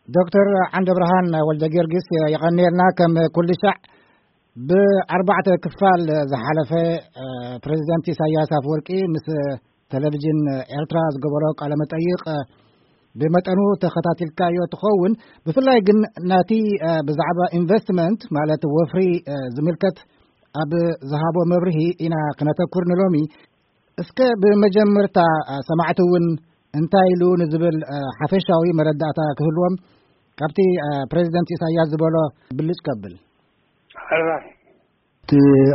ዶክተር ዓንደ ብርሃን ወልደ ጊዮርጊስ፣ የቐንየልና። ከም ኩሉ ሻዕ ብኣርባዕተ ክፋል ዝሓለፈ፣ እ፣ ፕሬዚደንት ኢሳያስ ኣፈወርቂ ምስ ቴሌቪዥን ኤርትራ ዝገበሮ ቃለ መጠይቕ፣ እ፣ ብመጠኑ ተኸታቲልካዮ ትኸውን። ብፍላይ ግን ናቲ፣ እ፣ ብዛዕባ ኢንቨስትመንት ማለት ወፍሪ፣ እ፣ ዝምልከት ኣብ ዝሃቦ መብርሂ ኢና ክነተኩር ንሎሚ። እስከ ብመጀመርታ፣ እ፣ ሰማዕቲ እውን እንታይ ኢሉ ንዝብል፣ እ፣ ሓፈሻዊ መረዳእታ ክህልዎም ካብቲ፣ እ፣ ፕሬዚደንት ኢሳያስ ዝበሎ ብልጭ ከብል። ሕራይ። እቲ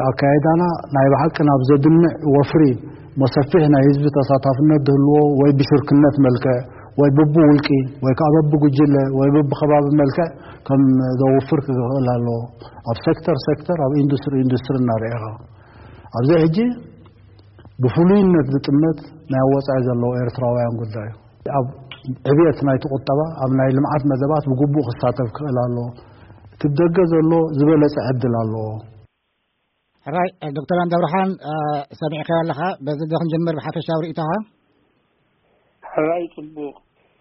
ኣካይዳና ናይ ብሓቂ ናብ ዘድምዕ ወፍሪ፣ መሰፊሕ ናይ ህዝቢ ተሳታፍነት ዝህልዎ፣ ወይ ብሽርክነት መልክዕ፣ ወይ ብብውልቂ፣ ወይ ከዓ በብጉጅለ፣ ወይ በብከባቢ መልክዕ ከም ዘውፍር ክኽእል ኣለዎ። ኣብ ሴክተር ሴክተር፣ ኣብ ኢንዱስትሪ ኢንዱስትሪ እናርኤኻ። ኣብዚ ሕጂ ብፍሉይነት ዝጥመት ናይ ወጻኢ ዘለዉ ኤርትራውያን ጉዳይ እዩ። ኣብ ዕብየት ናይቲ ቁጠባ፣ ኣብ ናይ ልምዓት መደባት ብግቡእ ክሳተፍ ክኽእል ኣለዎ። እቲ ብደገ ዘሎ ዝበለጸ ዕድል ኣለዎ። ሕራይ፣ ዶክተር ዓንደ ብርሃን፣ እ፣ ሰሚዕካዮ ኣለኻ። በዚ ዶ ክንጀምር ብሓፈሻዊ ርእይቶኻ? ሕራይ፣ ጽቡቕ።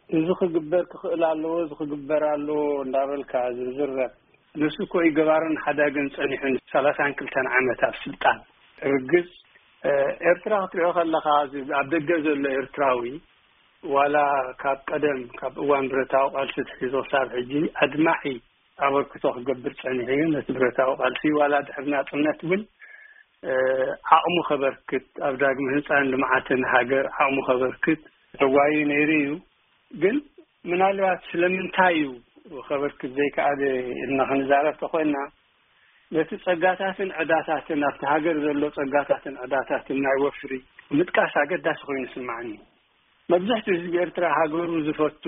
እዚ ክግበር ክኽእል ኣለዎ፣ እዚ ክግበር ኣለዎ እንዳበልካ ዝዝረብ፣ ንሱ እኮ እዩ ገባርን ሓዳግን ጸኒሑ ንሰላሳን ክልተን ዓመት ኣብ ስልጣን። ርግጽ፣ እ፣ ኤርትራ ክትሪኦ ከለኻ፣ እዚ ኣብ ደገ ዘሎ ኤርትራዊ፣ ዋላ ካብ ቀደም፣ ካብ እዋን ብረታዊ ቃልሲ ትሒዙ ክሳብ ሕጂ ኣድማዒ ኣበርክቶ ክገብር ጸኒሑ እዩ። ነቲ ብረታዊ ቃልሲ ዋላ ድሕሪ ናጽነት እውን፣ እ፣ ዓቕሙ ከበርክት፣ ኣብ ዳግመ ህንጻን ልምዓትን ሃገር ዓቕሙ ከበርክት ተጓዩ ነይሩ እዩ። ግን ምናልባት ስለምንታይ እዩ ከበርክት ዘይከኣለ ኢልና ክንዛረብ ተኾይና፣ ነቲ ጸጋታትን ዕዳታትን፣ ኣብቲ ሃገር ዘሎ ጸጋታትን ዕዳታትን ናይ ወፍሪ ምጥቃስ ኣገዳሲ ኮይኑ ይስምዓኒ። መብዛሕትኡ ህዝቢ ኤርትራ ሃገሩ ዝፈቱ፣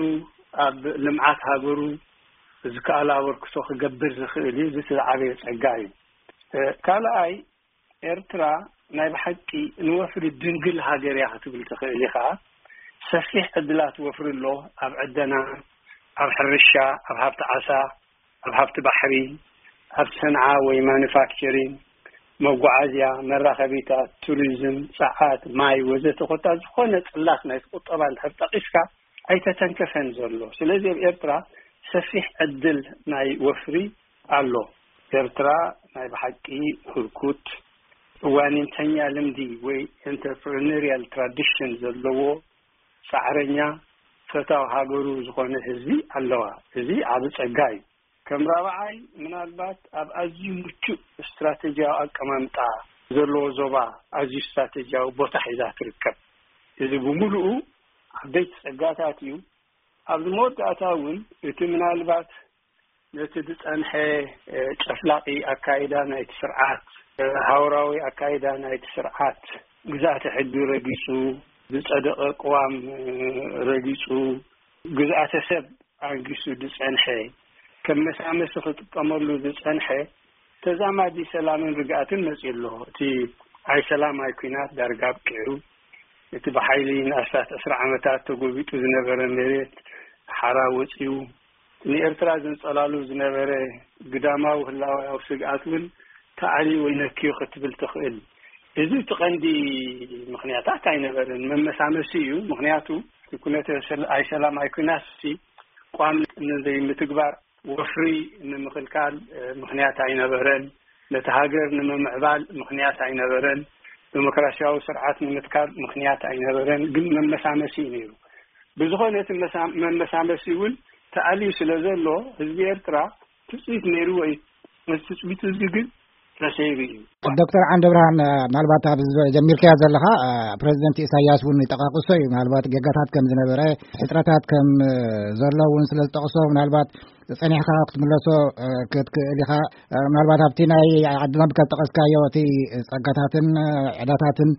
ኣብ ልምዓት ሃገሩ ዝከኣሎ ኣበርክቶ ክገብር ዝኽእል እዩ። እዚ እቲ ዝዓበየ ጸጋ እዩ። እ፣ ካልኣይ፣ ኤርትራ ናይ ብሓቂ ንወፍሪ ድንግል ሃገር እያ ክትብል ትኽእል ኢኻ። ሰፊሕ ዕድላት ወፍሪ ኣሎ። ኣብ ዕደና፣ ኣብ ሕርሻ፣ ኣብ ሃብቲ ዓሳ፣ ኣብ ሃብቲ ባሕሪ፣ ኣብ ሰንዓ ወይ ማኑፋክቸሪንግ፣ መጓዓዝያ፣ መራኸቢታት፣ ቱሪዝም፣ ጸዓት፣ ማይ ወዘተ፣ ኮታ ዝኾነ ጽላት ናይቲ ቁጠባ እንድሕር ጠቒስካ ኣይተተንከፈን ዘሎ። ስለዚ ኣብ ኤርትራ ሰፊሕ ዕድል ናይ ወፍሪ ኣሎ። ኤርትራ ናይ ብሓቂ ህርኩት ዋኒንተኛ ልምዲ ወይ ኢንተርፕረነሪያል ትራዲሽን ዘለዎ ጻዕረኛ ፈታው ሃገሩ ዝኾነ ህዝቢ ኣለዋ። እዚ ዓቢ ጸጋ እዩ። ከም ራብዓይ፣ ምናልባት ኣብ ኣዝዩ ምቹእ ስትራቴጂያዊ ኣቀማምጣ ዘለዎ ዞባ ኣዝዩ ስትራቴጂያዊ ቦታ ሒዛ ትርከብ። እዚ ብምሉኡ ዓበይቲ ጸጋታት እዩ። ኣብዚ መወዳእታ እውን እቲ ምናልባት ነቲ ዝጸንሐ፣ እ፣ ጨፍላቂ ኣካይዳ ናይቲ ስርዓት፣ እ፣ ሃውራዊ ኣካይዳ ናይቲ ስርዓት፣ ግዝኣተ ሕጊ ረጊጹ፣ ዝጸደቐ ቅዋም፣ እ፣ ረጊጹ፣ ግዝኣተ ሰብ ኣንጊሱ ዝጸንሐ፣ ከም መሳመሲ ክጥቀመሉ ዝጸንሐ ተዛማዲ ሰላምን ርግኣትን መጺኡ ኣሎ። እቲ ኣይ ሰላም ኣይ ኲናት ዳርጋ ኣብቂዑ፣ እቲ ብሓይሊ ንኣስታት ዕስራ ዓመታት ተጎቢጡ ዝነበረ መሬት ሓራ ወጺኡ፣ ንኤርትራ ዘንጸላሉ ዝነበረ ግዳማዊ ህላዌያዊ ስግኣት እውን ተኣልዩ ወይ ነክዩ ክትብል ትኽእል። እዚ እቲ ቀንዲ ምኽንያታት ኣይነበረን፣ መመሳመሲ እዩ። ምኽንያቱ እቲ ኩነተ ሰል-፣ ኣይ ሰላም ኣይ ኲናትሲ ቋም ንዘይምትግባር፣ ወፍሪ ንምኽልካል፣ እ፣ ምኽንያት ኣይነበረን። ነቲ ሃገር ንምምዕባል ምኽንያት ኣይነበረን። ዲሞክራሲያዊ ስርዓት ንምትካል ምኽንያት ኣይነበረን። ግን መመሳመሲ እዩ ነይሩ። ብዝኾነ እቲ መሳ-፣ መመሳመሲ እውን ተኣልዩ ስለ ዘሎ፣ ህዝቢ ኤርትራ ትጽቢት ነይርዎ እዩ። ነቲ ትጽቢት እዚ ግን ተሰይሩ እዩ። ዶክተር ዓንደ ብርሃን፣ እ፣ ምናልባት ኣብዚ ጀሚርካዮ ዘለኻ፣ እ፣ ፕሬዚደንት ኢሳያስ እውን ይጠቃቅሶ እዩ። ምናልባት ጌጋታት ከም ዝነበረ፣ ሕጽረታት ከም፣ እ፣ ዘሎ እውን ስለ ዝጠቅሶ፣ ምናልባት ጸኒሕካ ክትምለሶ፣ እ፣ ክትክእል ኢኻ። እ፣ ምናልባት ኣብቲ ናይ ዓድና ካብ ጠቀስካዮ፣ እቲ ጸጋታትን፣ እ፣ ዕዳታትን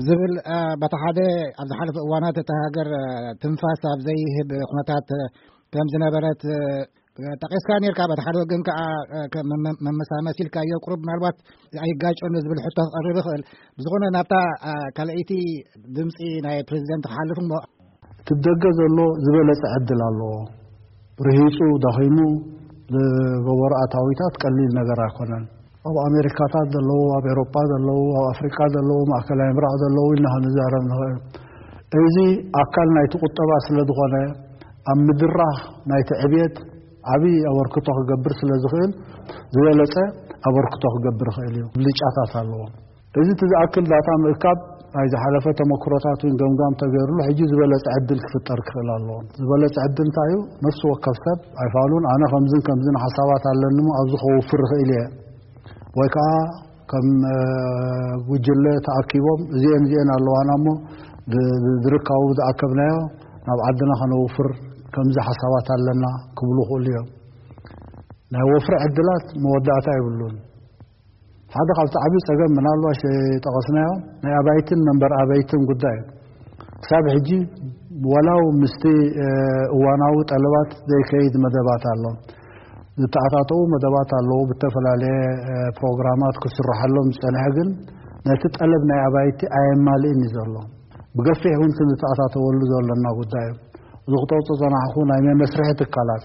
ዝብል፣ እ፣ በቲ ሓደ ኣብ ዝሓለፈ እዋናት እታ ሃገር፣ እ፣ ትንፋስ ኣብ ዘይህብ ኩነታት፣ እ፣ ከም ዝነበረት፣ እ፣ ጠቂስካ ነርካ። በቲ ሓደ ወገን ከኣ፣ እ፣ ከ-፣ መ-፣ መ-፣ መመሳመሲ ኢልካዮ፣ ቁሩብ ምናልባት ኣይጋጨን ዝብል ሕቶ ክቐርብ ይኽእል። ብዝኾነ ናብታ፣ እ፣ ካልኣይቲ ድምጺ ናይ ፕሬዚደንት ክሓልፍ እሞ፣ እቲ ብደገ ዘሎ ዝበለጸ ዕድል ኣለዎ። ርሂጹ፣ ደኺሙ ዝገበሮ ኣታዊታት ቀሊል ነገር ኣይኮነን። ኣብ ኣሜሪካታት ዘለዉ፣ ኣብ ኤውሮጳ ዘለዉ፣ ኣብ ኣፍሪቃ ዘለዉ፣ ማእከላይ ምብራቕ ዘለዉ ኢልና ክንዛረብ ንኽእል። እዚ ኣካል ናይቲ ቁጠባ ስለ ዝኾነ፣ ኣብ ምድራኽ ናይቲ ዕብየት ዓብዪ ኣበርክቶ ክገብር ስለ ዝኽእል፣ ዝበለጸ ኣበርክቶ ክገብር ይኽእል እዩ። ብልጫታት ኣለዎ። እዚ እቲ ዝኣክል ዳታ ምእካብ ናይ ዝሓለፈ ተመክሮታት እውን ገምጋም ተገይርሉ፣ ሕጂ ዝበለጸ ዕድል ክፍጠር ክኽእል ኣለዎ። ዝበለጸ ዕድል እንታይ እዩ? ነፍሲ ወከፍ ሰብ ኣይፋሉን፣ ኣነ ከምዝን ከምዝን ሓሳባት ኣለኒ እሞ ኣብዚ ከውፍር ይኽእል እየ፣ ወይ ከዓ ከም ጉጅለ ተኣኪቦም እዚኤን እዚኤን ኣለዋና እሞ ዝርካቡ ዝኣከብናዮ ናብ ዓድና ከነውፍር ከምዚ ሓሳባት ኣለና ክብሉ ይኽእሉ እዮም። ናይ ወፍሪ ዕድላት መወዳእታ የብሉን። ሓደ ካብቲ ዓብዪ ጸገም ምናልባሽ ጠቐስናዮ ናይ ኣባይትን መንበር ኣባይትን ጉዳይ እዩ። ክሳብ ሕጂ ወላው ምስቲ እዋናዊ ጠለባት ዘይከይድ መደባት ኣሎ። ዝተኣታተዉ መደባት ኣለዉ። ብተፈላለየ ፕሮግራማት ክስርሐሎም ዝጸንሐ ግን ነቲ ጠለብ ናይ ኣባይቲ ኣየማልእን እዩ ዘሎ። ብገፊሕ እውን ክንተኣታተወሉ ዘለና ጉዳይ እዩ። እዚ ክተውፅኦ ዝፀናሕኹ ናይ መመስርሒ ትካላት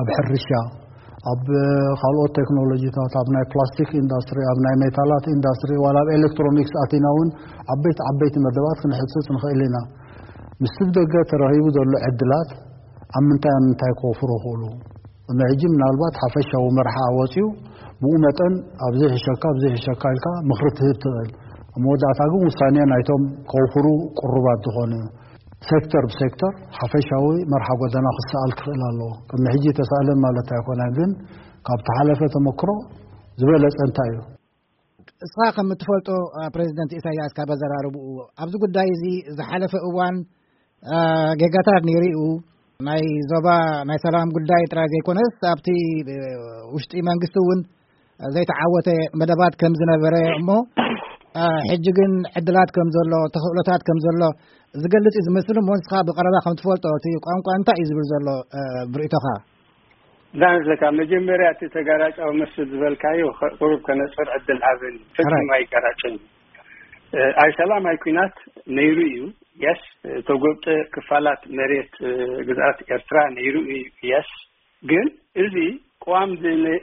ኣብ ሕርሻ፣ ኣብ ካልኦት ቴክኖሎጂታት፣ ኣብ ናይ ፕላስቲክ ኢንዳስትሪ፣ ኣብ ናይ ሜታላት ኢንዳስትሪ፣ ዋላ ኣብ ኤሌክትሮኒክስ ኣቲና እውን ዓበይቲ ዓበይቲ መደባት ክንሕጽጽ ንኽእል ኢና። ምስቲ ብደገ ተረኺቡ ዘሎ ዕድላት ኣብ ምንታይ ኣብ ምንታይ ክወፍሩ ይኽእሉ? ቅድሚ ሕጂ ምናልባት ሓፈሻዊ መርሓ ወፂኡ ብኡ መጠን ኣብዚ ሕሸካ ኣብዚ ሕሸካ ኢልካ ምኽሪ ትህብ ትኽእል። ኣብ መወዳእታ ግን ውሳኔ ናይቶም ከውፍሩ ቅሩባት ዝኾኑ ሴክተር ብሴክተር ሓፈሻዊ መርሓ ጎደና ክሰኣል ክኽእል ኣለዎ። ቅድሚ ሕጂ ተሳእለን ማለት ኣይኮነን፣ ግን ካብ ተሓለፈ ተመክሮ ዝበለጸ እንታይ እዩ? እስኻ ከም እትፈልጦ ፕሬዚደንት ኢሳያስ ካብ ኣዘራርብኡ ኣብዚ ጉዳይ እዚ ዝሓለፈ እዋን ጌጋታት ነይሩ እዩ። ናይ ዞባ ናይ ሰላም ጉዳይ ጥራይ ዘይኮነስ ኣብቲ ውሽጢ መንግስቲ እውን ዘይተዓወተ መደባት ከም ዝነበረ እሞ ሕጂ ግን ዕድላት ከም ዘሎ ተኽእሎታት ከም ዘሎ ዝገልጽ እዩ ዝመስል። እሞ ንስኻ ብቐረባ ከም ትፈልጦ እቲ ቋንቋ እንታይ እዩ ዝብል ዘሎ ብርእቶኻ? ዳንስ ለካ መጀመርያ እቲ ተጋራጫዊ መስል ዝበልካዮ ቁሩብ ከነፅር ዕድል ሃብን። ፈፂሙ ኣይጋራጭን። ኣይ ሰላም ኣይ ኩናት ነይሩ እዩ። የስ ተጎብጠ ክፋላት መሬት ግዝኣት ኤርትራ ነይሩ እዩ። የስ ግን እዚ ቅዋም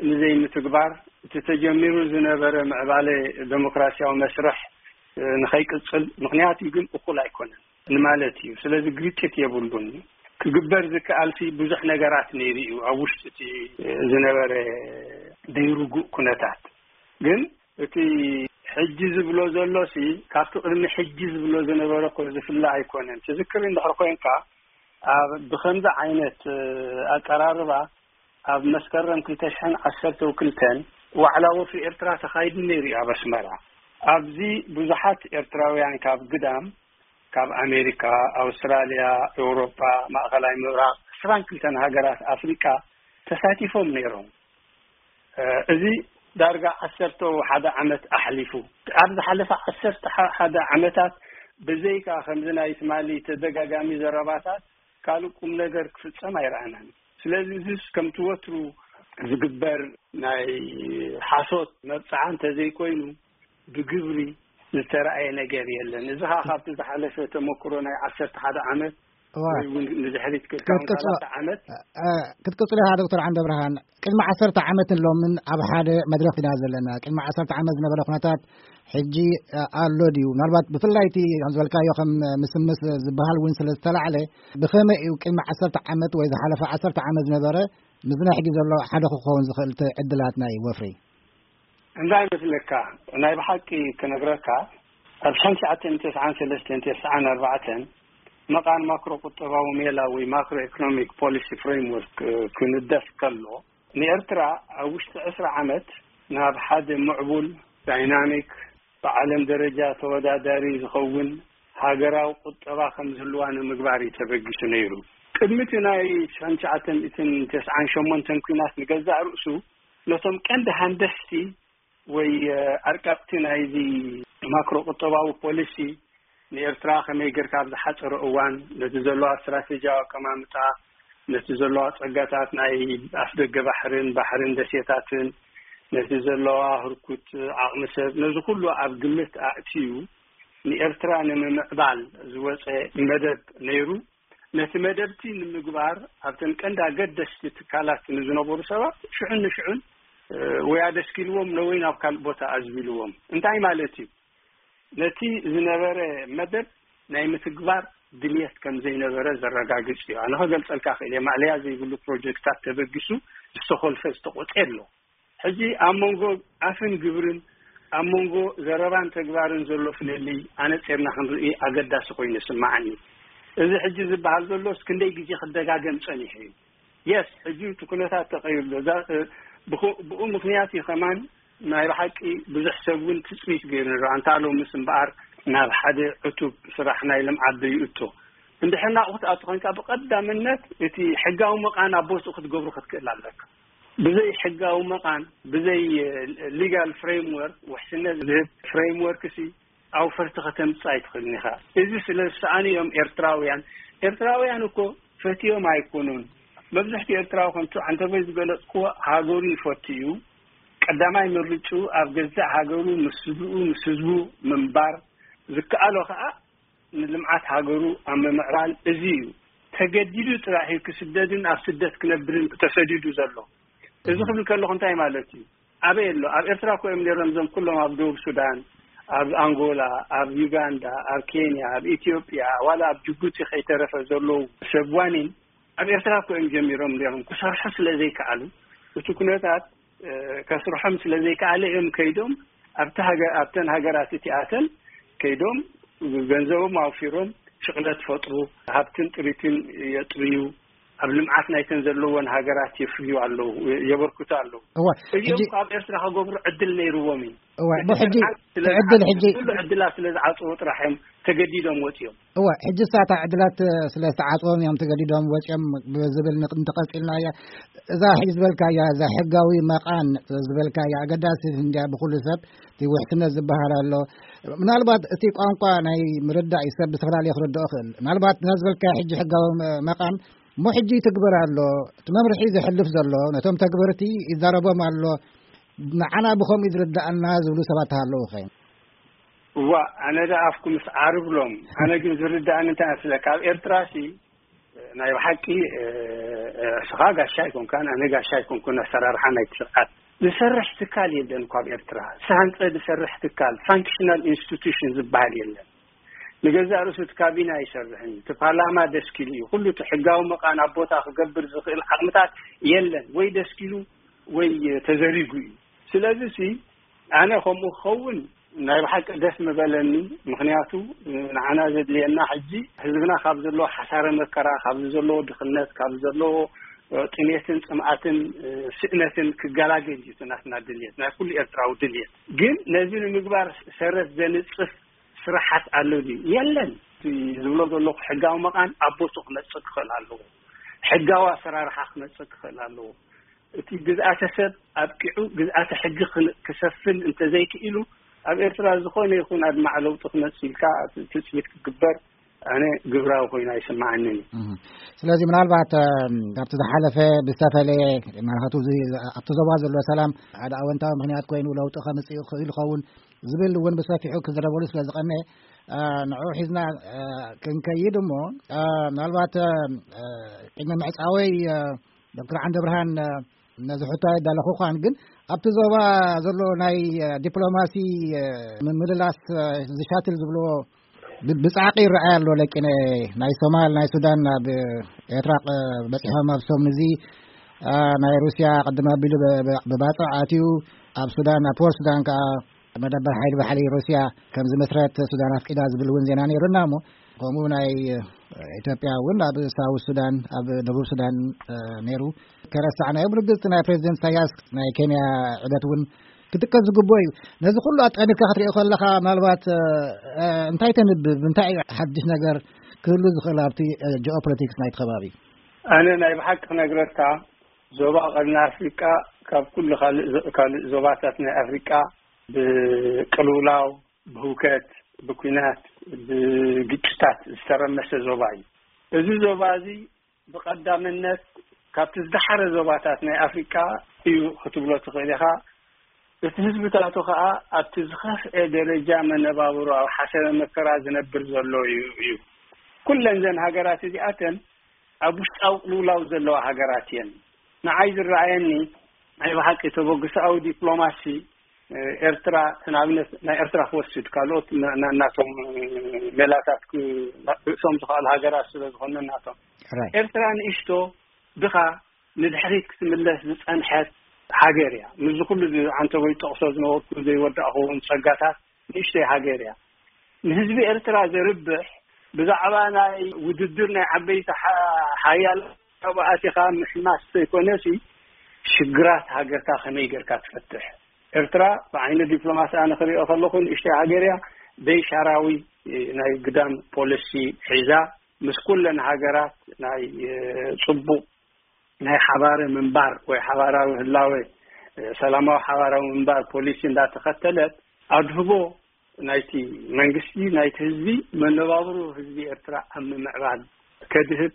ንዘይምትግባር እቲ ተጀሚሩ ዝነበረ ምዕባለ ዴሞክራሲያዊ መስርሕ ንኸይቅፅል ምኽንያት እዩ። ግን እኹል ኣይኮነን ንማለት እዩ። ስለዚ ግጭት የብሉን። ክግበር ዝከኣልሲ ብዙሕ ነገራት ነይሩ እዩ ኣብ ውሽጢ እቲ ዝነበረ ደይርጉእ ኩነታት። ግን እቲ ሕጂ ዝብሎ ዘሎሲ ካብቲ ቅድሚ ሕጂ ዝብሎ ዝነበረ እኮ ዝፍለ ኣይኮነን። ትዝክር እንድሕር ኮይንካ ኣብ ብኸምዚ ዓይነት ኣቀራርባ ኣብ መስከረም ክልተ ሽሕን ዓሰርተ ክልተን ዋዕላ ወፍሪ ኤርትራ ተኻይዱ ነይሩ እዩ ኣብ ኣስመራ። ኣብዚ ብዙሓት ኤርትራውያን ካብ ግዳም ካብ ኣሜሪካ፣ ኣውስትራልያ፣ ኤውሮጳ፣ ማእኸላይ ምብራቕ፣ ዕስራን ክልተን ሃገራት ኣፍሪቃ ተሳቲፎም ነይሮም። እዚ ዳርጋ ዓሰርተ ሓደ ዓመት ኣሕሊፉ። ኣብ ዝሓለፈ ዓሰርተ ሓደ ዓመታት ብዘይካ ከምዚ ናይ ትማሊ ተደጋጋሚ ዘረባታት ካልእ ቁም ነገር ክፍጸም ኣይረኣናን። ስለዚ እዚስ ከምቲ ወትሩ ዝግበር ናይ ሓሶት መብጽዓ እንተዘይኮይኑ ብግብሪ ዝተረኣየ ነገር የለን። እዚ ኸዓ ካብቲ ዝሓለፈ ተመክሮ ናይ ዓሰርተ ሓደ ዓመት እዋ። ወይ እውን ንድሕሪት ክልተ ክትቅጽሎ- ዓመት እ፣ ክትቅጽሎ ኢኻ ዶክተር ዓንደ ብርሃን። ቅድሚ ዓሰርተ ዓመትን ሎምን ኣብ ሓደ መድረኽ ኢና ዘለና። ቅድሚ ዓሰርተ ዓመት ዝነበረ ኩነታት ሕጂ እ፣ ኣሎ ድዩ? ምናልባት ብፍላይ እቲ ከም ዝበልካዮ ከም ምስምስ ዝበሃል እውን ስለ ዝተላዕለ ብኸመይ እዩ ቅድሚ ዓሰርተ ዓመት ወይ ዝሓለፈ ዓሰርተ ዓመት ዝነበረ ምስና ሕጂ ዘሎ ሓደ ክኸውን ዝኽእል እቲ ዕድላት ናይ ወፍሪ? እንታይ መስለካ? ናይ ብሓቂ ክነግረካ ኣብ ሽሕን ትሽዓተ ሚእትን ተስዓን ሰለስተን ተስዓን ኣርባዕተን መቓን ማክሮ ቁጠባዊ ሜላ ወይ ማክሮ ኢኮኖሚክ ፖሊሲ ፍሬምወርክ ክንደፍ ከሎ ንኤርትራ ኣብ ውሽጢ ዕስራ ዓመት ናብ ሓደ ምዕቡል ዳይናሚክ ብዓለም ደረጃ ተወዳዳሪ ዝኸውን ሃገራዊ ቁጠባ ከም ዝህልዋ ንምግባር እዩ ተበጊሱ ነይሩ። ቅድሚ እቲ ናይ ሽሕን ትሽዓተ ሚእትን ተስዓን ሸሞንተን ኲናት ንገዛእ ርእሱ ነቶም ቀንዲ ሃንደስቲ ወይ ኣርቀቕቲ ናይዚ ማክሮ ቁጠባዊ ፖሊሲ ንኤርትራ ከመይ ጌርካ ኣብ ዝሓጸረ እዋን ነቲ ዘለዋ ስትራቴጂያዊ ኣቀማምጣ ነቲ ዘለዋ ጸጋታት ናይ ኣፍደገ ባሕርን ባሕርን ደሴታትን ነቲ ዘለዋ ህርኩት ዓቕሚ ሰብ ነዚ ኩሉ ኣብ ግምት ኣእትዩ ንኤርትራ ንምምዕባል ዝወጸ መደብ ነይሩ። ነቲ መደብቲ ንምግባር ኣብተን ቀንዲ ኣገደስቲ ትካላት ንዝነበሩ ሰባት ሽዑን ንሽዑን ወይ ኣደስኪልዎም ነወይ ናብ ካልእ ቦታ ኣዝቢልዎም። እንታይ ማለት እዩ? ነቲ ዝነበረ መደብ ናይ ምትግባር ድልየት ከም ዘይነበረ ዘረጋግጽ እዩ። ኣነ ከገልጸልካ ክእል እየ፣ ማዕለያ ዘይብሉ ፕሮጀክታት ተበጊሱ ዝተኾልፈ ዝተቆጠ ኣሎ። ሕጂ ኣብ መንጎ ኣፍን ግብርን፣ ኣብ መንጎ ዘረባን ተግባርን ዘሎ ፍልልይ ኣነጺርና ክንርኢ ኣገዳሲ ኮይኑ ይስምዓኒ። እዚ ሕጂ ዝበሃል ዘሎስ ክንደይ ግዜ ክደጋገም ጸኒሑ እዩ። የስ፣ ሕጂ እቲ ኩነታት ተቐይሩ ኣሎ። እዛ፣ እ፣ ብኹ-፣ ብኡ ምኽንያት እዩ ከማን ናይ ብሓቂ ብዙሕ ሰብ እውን ትጽቢት ገይሩ ነይሩ። ኣንታ ሎምስ እምበኣር ናብ ሓደ ዕቱብ ስራሕ ናይ ልምዓት ዶ ይእቶ? እንድሕር ናብኡ ክትኣቱ ኮንካ፣ ብቐዳምነት እቲ ሕጋዊ መቓን ኣብ ቦትኡ ክትገብሮ ክትክእል ኣለካ። ብዘይ ሕጋዊ መቓን፣ ብዘይ፣ እ፣ ሊጋል ፍሬምወርክ፣ ውሕስነት ዝህብ ፍሬምወርክ ሲ፣ ኣውፈርቲ ከተምጽእ ኣይትኽእልን ኢኻ። እዚ ስለ ዝሰኣኑ እዮም ኤርትራውያን። ኤርትራውያን እኮ ፈትዮም ኣይኮኑን። መብዛሕትኡ ኤርትራዊ ከምቲ ዓንተቦይ ዝገለጽክዎ ሃገሩ ይፈቱ እዩ። ቀዳማይ ምርጭኡ ኣብ ገዛእ ሃገሩ ምስ ስድርኡ ምስ ህዝቡ ምንባር፣ ዝከኣሎ ከኣ ንልምዓት ሃገሩ ኣብ ምምዕባል። እዚ እዩ ተገዲዱ ጥራሕ እዩ ክስደድን ኣብ ስደት ክነብርን ተሰዲዱ ዘሎ። እዚ ክብል ከለኹ እንታይ ማለት እዩ? ኣበይ ኣሎ? ኣብ ኤርትራ እኮ እዮም ነይሮም እዞም ኩሎም ኣብ ደቡብ ሱዳን፣ ኣብ ኣንጎላ፣ ኣብ ዩጋንዳ፣ ኣብ ኬንያ፣ ኣብ ኢትዮጵያ፣ ዋላ ኣብ ጅቡቲ ከይተረፈ ዘለዉ ሰብ ዋኒን ኣብ ኤርትራ እኮ እዮም ጀሚሮም ነይሮም። ክሰርሑ ስለ ዘይከኣሉ፣ እቲ ኩነታት፣ እ፣ ከስርሖም ስለ ዘይከኣለ እዮም ከይዶም ኣብቲ ሃገ-፣ ኣብተን ሃገራት እቲኣተን ከይዶም ገንዘቦም ኣውፊሮም ሽቕለት ፈጥሩ፣ ሃብትን ጥሪትን የጥርዩ፣ ኣብ ልምዓት ናይተን ዘለወን ሃገራት የፍርዩ ኣለዉ፣ የበርክቱ ኣለዉ። እዋ፣ እዚኦም ሕጂ እኮ ኣብ ኤርትራ ከገብሩ ዕድል ነይርዎም እዩ። እዋ፣ እቲ እሞ ሕጂ ስርዓት ስለ እቲ ዕድል ዝዓጽዎ፣ ሕጂ ኩሉ ዕድላት ስለ ዝዓጽዎ ጥራሕ እዮም ተገዲዶም ወጺኦም። እዋ፣ ሕጂ እሳ እታ ዕድላት ስለ ዝተዓጽዎም እዮም ተገዲዶም ወጺኦም ብዝብል ንቅ-፣ እንተቐጺልናያ፣ እዛ ሕጂ ዝበልካያ፣ እዛ ሕጋዊ መቓን ዝበልካያ ኣገዳሲ እንድያ ብኩሉ ሰብ፣ እቲ ውሕስነት ዝበሃል ኣሎ። ምናልባት እቲ ቋንቋ ናይ ምርዳእ እዩ፣ ሰብ ብዝተፈላለየ ክርድኦ ክእል። ምናልባት ነዚ ዝበልካያ ሕጂ ሕጋዊ መ-፣ መቓን እሞ ሕጂ ይትግበር ኣሎ። እቲ መምርሒ ዘሕልፍ ዘሎ ነቶም ተግበርቲ ይዛረቦም ኣሎ። ንዓና ብኸምኡ ዝርድኣና ዝብሉ ሰባት ኣለዉ ኸ? እዋ፣ ኣነ ደኣ ኣፍኩምስ ዓርብሎም። ኣነ ግን ዝርድኣኒ እንታይ መስለካ? ኣብ ኤርትራሲ ናይ ብሓቂ፣ እ፣ እ፣ እስኻ ጋሻ ኣይኮንካን፣ ኣነ ጋሻ ኣይኮንኩን። ኣሰራርሓ ናይቲ ስርዓት ዝሰርሕ ትካል የለን እኮ ኣብ ኤርትራ። ዝሃንጸ ዝሰርሕ ትካል፣ ፋንክሽናል ኢንስቲቱሽን ዝበሃል የለን። ንገዛእ ርእሱ እቲ ካቢነ ኣይሰርሕን እዩ። እቲ ፓርላማ ደስኪሉ እዩ። ኩሉ እቲ ሕጋዊ መቓን ኣብ ቦታ ክገብር ዝኽእል ዓቕምታት የለን። ወይ ደስኪሉ ወይ ተዘሪጉ እዩ። ስለዚ ሲ ኣነ ከምኡ ክኸውን ናይ ብሓቂ ደስ ምበለኒ። ምኽንያቱ ንዓና ዘድልየና ሕጂ ህዝብና ካብ ዘለዎ ሓሳረ መከራ፣ ካብ ዘለዎ ድኽነት፣ ካብ ዘለዎ ጥሜትን ጽምኣትን ስእነትን ክገላገል እዩ እቲ ናትና ድልየት፣ ናይ ኩሉ ኤርትራዊ ድልየት። ግን ነዚ ንምግባር ሰረት ዘንጽፍ ስራሓት ኣሎ ድዩ? የለን። እቲ ዝብሎ ዘለኹ ሕጋዊ መቓን ኣብ ቦትኡ ክመጽእ ክኽእል ኣለዎ። ሕጋዊ ኣሰራርሓ ክመጽእ ክኽእል ኣለዎ። እቲ ግዝኣተ ሰብ ኣብቂዑ ግዝኣተ ሕጊ ክን-፣ ክሰፍን እንተዘይክኢሉ፣ ኣብ ኤርትራ ዝኾነ ይኹን ኣድማዕ ለውጢ ክመጽእ ኢልካ ትጽቢት ክግበር ኣነ ግብራዊ ኮይኑ ኣይስምዓንን እዩ። እህ። ስለዚ ምናልባት፣ እ፣ ካብቲ ዝሓለፈ ብዝተፈለየ፣ ማለት፣ እዚ ኣብቲ ዞባ ዘሎ ሰላም ሓደ ኣወንታዊ ምኽንያት ኮይኑ ለውጢ ከምጽእ ይኽእል ይኸውን ዝብል እውን ብሰፊሑ ክዝረበሉ ስለ ዝቐነየ፣ እ፣ ንዕኡ ሒዝና፣ እ፣ ክንከይድ እሞ፣ እ፣ ምናልባት፣ እ፣ ቅድሚ ምዕጻወይ፣ እ፣ ዶክተር ዓንደብርሃን፣ እ፣ ነዚ ሕቶ ኣይዳለኹኻን፣ ግን ኣብቲ ዞባ ዘሎ ናይ፣ እ፣ ዲፕሎማሲ፣ እ፣ ምምልላስ፣ እ፣ ዝሻትል ዝብልዎ ብ-፣ ብጻዕቂ ይረኣይ ኣሎ። ለቂነ ናይ ሶማል፣ ናይ ሱዳን ናብ ኤርትራ፣ እ፣ በጺሖም ኣብ ሰሙን እዚ፣ እ፣ ናይ ሩስያ ቅድም ኣቢሉ ብ-፣ ብ-፣ ብባጽዕ ኣትዩ ኣብ ሱዳን፣ ኣብ ፖርት ሱዳን ከኣ መደበር ሓይሊ ባሕሪ ሩስያ ከም ዝመስረት ሱዳን ኣፍቂዳ ዝብል እውን ዜና ነይሩና እሞ፣ ከምኡ ናይ ኢትዮጵያ እውን ኣብ ሳውት ሱዳን፣ ኣብ ደቡብ ሱዳን፣ እ፣ ነይሩ። ከረሳዕናዮ፣ ብርግጽ ናይ ፕሬዚደንት ኢሳያስ ናይ ኬንያ ዑደት እውን ክጥቀስ ዝግብኦ እዩ። ነዚ ኩሉ ኣጠኒካ ክትሪኦ ከለኻ፣ ምናልባት፣ እ፣ እ፣ እንታይ ተንብብ፣ እንታይ እዩ ሓድሽ ነገር ክህሉ ዝኽእል ኣብቲ፣ እ፣ ጂኦፖለቲክስ ናይቲ ከባቢ? ኣነ ናይ ብሓቂ ክነግረካ፣ ዞባ ቀርኒ ኣፍሪቃ ካብ ኩሉ ካልእ ዞ-፣ ካልእ ዞባታት ናይ ኣፍሪቃ ብቅልውላው፣ ብህውከት፣ ብኲናት፣ ብግጭታት ዝተረመሰ ዞባ እዩ። እዚ ዞባ እዚ ብቐዳምነት ካብቲ ዝደሓረ ዞባታት ናይ ኣፍሪቃ እዩ ክትብሎ ትኽእል ኢኻ። እቲ ህዝብታቱ ኸኣ ኣብቲ ዝኸፍአ ደረጃ መነባብሮ ኣብ ሓሰረ መከራ ዝነብር ዘሎ እዩ፣ እዩ። ኩለን እዘን ሃገራት እዚኣተን ኣብ ውሽጣዊ ቅልውላው ዘለዋ ሃገራት እየን። ንዓይ ዝረኣየኒ ናይ ብሓቂ ተበግሶኣዊ ዲፕሎማሲ ኤርትራ ንኣብነት ናይ ኤርትራ ክወስድ፣ ካልኦት ና- ና- ናቶም ሜላታት ክ- ርእሶም ዝኽኣሉ ሃገራት ስለ ዝኾነ ናቶም። ኤርትራ ንእሽቶ ድኻ ንድሕሪት ክትምለስ ዝጸንሐት ሃገር እያ። ምስዚ ኩሉ ዓንተቦይ ጠቕሶ ዝነበርኩ ዘይወዳእኹዎም ጸጋታት ንእሽተይ ሃገር እያ። ንህዝቢ ኤርትራ ዘርብሕ ብዛዕባ ናይ ውድድር ናይ ዓበይቲ ሓ- ሓያል ካብኡ ኣቲኻ ምሕማስ ዘይኮነሲ ሽግራት ሃገርካ ከመይ ጌርካ ትፈትሕ? ኤርትራ ብዓይኒ ዲፕሎማሲ ኣነ ክሪኦ ከለኹ ንእሽተይ ሃገር እያ። ደይ ሻራዊ ናይ ግዳም ፖሊሲ ሒዛ ምስ ኩለን ሃገራት ናይ ጽቡቕ ናይ ሓባረ ምንባር ወይ ሓባራዊ ህላወ ሰላማዊ ሓባራዊ ምንባር ፖሊሲ እንዳተኸተለት ኣድህቦ ናይቲ መንግስቲ ናይቲ ህዝቢ መነባብሮ ህዝቢ ኤርትራ ኣብ ምምዕባል ከድህብ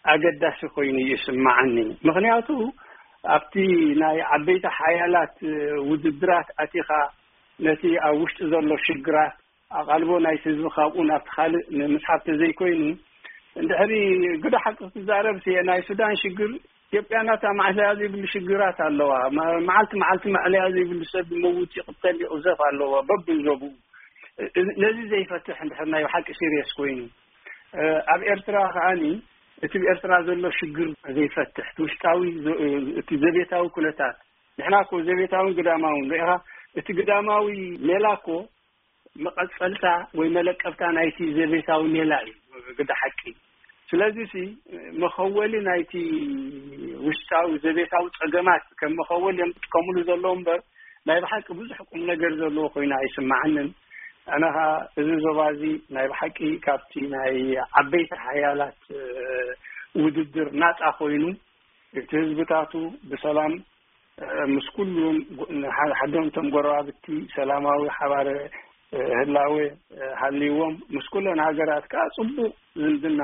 ኣገዳሲ ኮይኑ ይስማዓኒ። ምክንያቱ ኣብቲ ናይ ዓበይቲ ሓያላት ውድድራት ኣቲኻ ነቲ ኣብ ውሽጢ ዘሎ ሽግራት ኣቓልቦ ናይቲ ህዝቢ ካብኡ ናብቲ ካልእ ንምስሓብ ተዘይኮይኑ፣ እንድሕሪ ግደ ሓቂ ክትዛረብ ሲ ናይ ሱዳን ሽግር ኢትዮጵያ ናታ ማዕለያ ዘይብሉ ሽግራት ኣለዋ። መ- መዓልቲ መዓልቲ ማዕለያ ዘይብሉ ሰብ ይመውት፣ ይቕተል፣ ይቕዘፍ ኣለዎ በብዞቡ። እ- ነዚ ዘይፈትሕ እንድሕር ናይ ብሓቂ ሲሪየስ ኮይኑ፣ እ፣ ኣብ ኤርትራ ከዓኒ እቲ ብኤርትራ ዘሎ ሽግር ዘይፈትሕ እቲ ውሽጣዊ ዘ- እቲ ዘቤታዊ ኩነታት፣ ንሕና እኮ ዘቤታውን ግዳማውን ርኢኻ፣ እቲ ግዳማዊ ሜላ እኮ መቐጸልታ ወይ መለቀብታ ናይቲ ዘቤታዊ ሜላ እዩ ግዳ ሓቂ። ስለዚ ሲ መኸወሊ ናይቲ ውሽጣዊ ዘቤታዊ ጸገማት ከም መኸወሊ እዮም ዝጥቀምሉ ዘለዉ እምበር ናይ ብሓቂ ብዙሕ ቁም ነገር ዘለዎ ኮይኑ ኣይስማዓንን። ኣነ ኸኣ እዚ ዞባ እዚ ናይ ብሓቂ ካብቲ ናይ ዓበይቲ ሓያላት ውድድር ናጻ ኮይኑ እቲ ህዝብታቱ ብሰላም ምስ ኩሉም ጎ- ንሓ- ሓደንቶም ጎረባብቲ ሰላማዊ ሓባረ ህላወ ሃልይዎም ምስ ኩለን ሃገራት ከዓ ጽቡቕ ዝምድና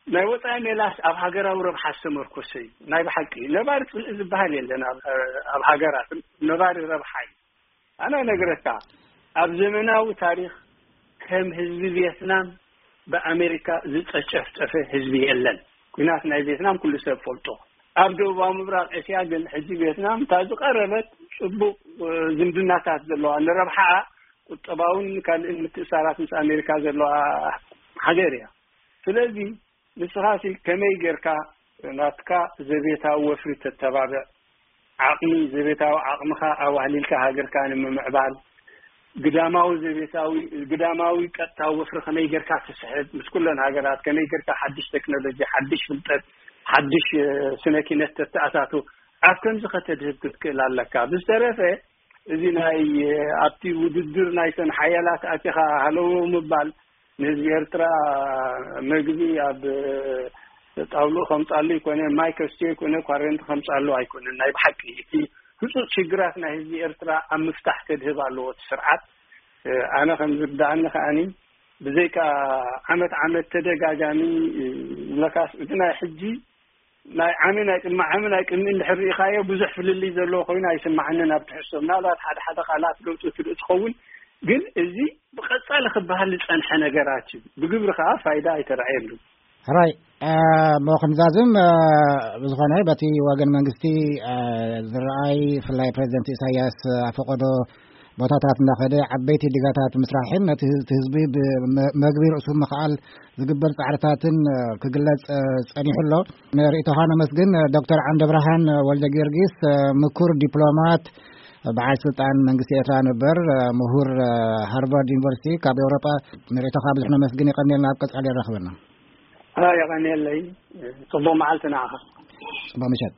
ናይ ወፃኢ ሜላስ ኣብ ሃገራዊ ረብሓ ዝተመርኮሰ እዩ። ናይ ብሓቂ ነባሪ ፅልኢ ዝበሃል የለን ኣብ ኣብ ሃገራት ነባሪ ረብሓ እዩ። ኣነ ነግረካ ኣብ ዘመናዊ ታሪኽ ከም ህዝቢ ቪየትናም ብኣሜሪካ ዝጨጨፍጨፈ ህዝቢ የለን። ኩናት ናይ ቪየትናም ኩሉ ሰብ ፈልጦ። ኣብ ደቡባዊ ምብራቕ ኤስያ ግን ሕጂ ቪየትናም እታ ዝቐረበት ፅቡቕ ዝምድናታት ዘለዋ ንረብሓኣ ቁጠባውን ካልእን ምትእሳራት ምስ ኣሜሪካ ዘለዋ ሃገር እያ። ስለዚ ንስኻ ሲ ከመይ ጌርካ ናትካ ዘቤታዊ ወፍሪ ተተባብዕ ዓቕሚ ዘቤታዊ ዓቕምኻ ኣዋህሊልካ ሃገርካ ንምምዕባል ግዳማዊ ዘቤታዊ ግዳማዊ ቀጥታዊ ወፍሪ ከመይ ጌርካ ትስሕብ ምስ ኩለን ሃገራት ከመይ ጌርካ ሓድሽ ቴክኖሎጂ ሓድሽ ፍልጠት ሓድሽ ስነ ኪነት ተተኣታቱ ኣብ ከምዚ ከተድህብ ክትክእል ኣለካ። ብዝተረፈ እዚ ናይ ኣብቲ ውድድር ናይተን ሓያላት ኣቲኻ ሃለዎ ምባል ንህዝቢ ኤርትራ መግቢ ኣብ ጣውልኡ ከምጻሉ ኣይኮነ ማይ ከስትዮ ኣይኮነ ኳረንቲ ከምጻሉ ኣይኮነ ናይ ብሓቂ እቲ ህጹጽ ሽግራት ናይ ህዝቢ ኤርትራ ኣብ ምፍታሕ ከድህብ ኣለዎ እቲ ስርዓት። ኣነ ከም ዝርዳእኒ ከኣኒ ብዘይካ ዓመት ዓመት ተደጋጋሚ ለካስ እቲ ናይ ሕጂ ናይ ዓሚ ናይ ቅድሚ ዓሚ ናይ ቅድሚ እንድሕር ርኢኻዮ ብዙሕ ፍልልይ ዘለዎ ኮይኑ ኣይስማዓንን ኣብ ትሕዝቶ ምናልባት ሓደ ሓደ ቃላት ለውጢ ትርኢ ትኸውን ግን እዚ ብቐጻሊ ክበሃል ዝጸንሐ ነገራት እዩ። ብግብሪ ከዓ ፋይዳ ኣይተረኣየሉ። ሕራይ እሞ ክንዛዝም ብዝኾነ በቲ ወገን መንግስቲ ዝረኣይ ብፍላይ ፕሬዚደንት ኢሳያስ ኣፈቀዶ ቦታታት እንዳኸደ ዓበይቲ ዲጋታት ምስራሕን ነቲ ህዝቢ መግቢ ርእሱ ምኽኣል ዝግበር ፃዕርታትን ክግለፅ ፀኒሑ ኣሎ። ንርእይቶኻ ነመስግን። ዶክተር ዓንደብርሃን ወልደ ጊዮርጊስ ምኩር ዲፕሎማት በዓል ስልጣን መንግስቲ ኤርትራ ነበር ምሁር ሃርቫርድ ዩኒቨርሲቲ ካብ ኤውሮጳ ንርእይቶኻ ብዙሕ ነመስግን። የቐንየልና። ኣብ ቀጻሊ የራኽበና። የቐንየለይ። ጽቡቕ መዓልቲ ንዓኻ። ጽቡቕ ምሸት።